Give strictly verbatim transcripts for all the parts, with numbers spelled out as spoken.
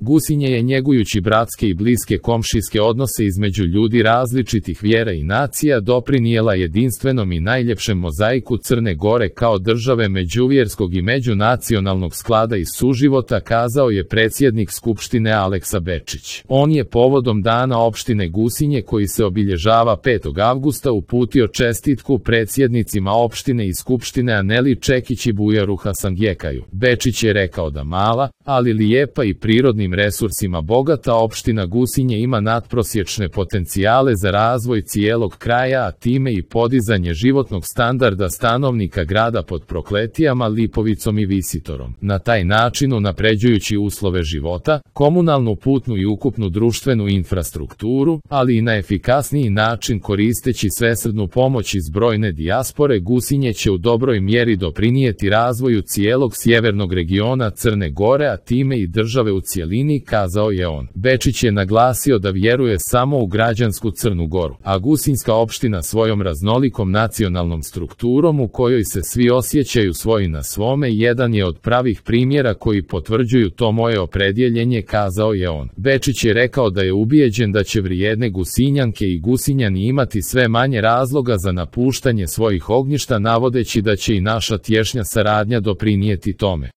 Gusinje je njegujući bratske i bliske komšijske odnose između ljudi različitih vjera i nacija doprinijela jedinstvenom i najljepšem mozaiku Crne Gore kao države međuvjerskog i međunacionalnog sklada i suživota, kazao je predsjednik Skupštine Aleksa Bečić. On je povodom dana opštine Gusinje koji se obilježava petog avgusta uputio čestitku predsjednicima opštine i Skupštine Aneli Čekić i Bujaru Hasangjekaju. Bečić je rekao da mala, ali lijepa i prirodnim resursima bogata opština Gusinje ima nadprosječne potencijale za razvoj cijelog kraja, a time i podizanje životnog standarda stanovnika grada pod Prokletijama, Lipovicom i Visitorom. Na taj način unapređujući uslove života, komunalnu, putnu i ukupnu društvenu infrastrukturu, ali i na efikasniji način koristeći svesrdnu pomoć iz brojne dijaspore, Gusinje će u dobroj mjeri doprinijeti razvoju cijelog sjevernog regiona Crne Gore, a time i države u cjelini, kazao je on. Bečić je naglasio da vjeruje samo u građansku Crnu Goru, a Gusinjska opština svojom raznolikom nacionalnom strukturom u kojoj se svi osjećaju svoji na svome jedan je od pravih primjera koji potvrđuju to moje opredjeljenje, kazao je on. Bečić je rekao da je ubijeđen da će vrijedne Gusinjanke i Gusinjani imati sve manje razloga za napuštanje svojih ognjišta, navodeći da će i naša tješnja saradnja doprinijeti tome.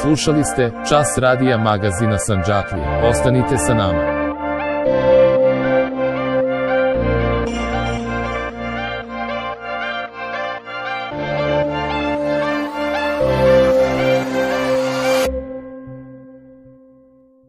Slušali ste Čas radija magazina Sandžaklija. Ostanite sa nama.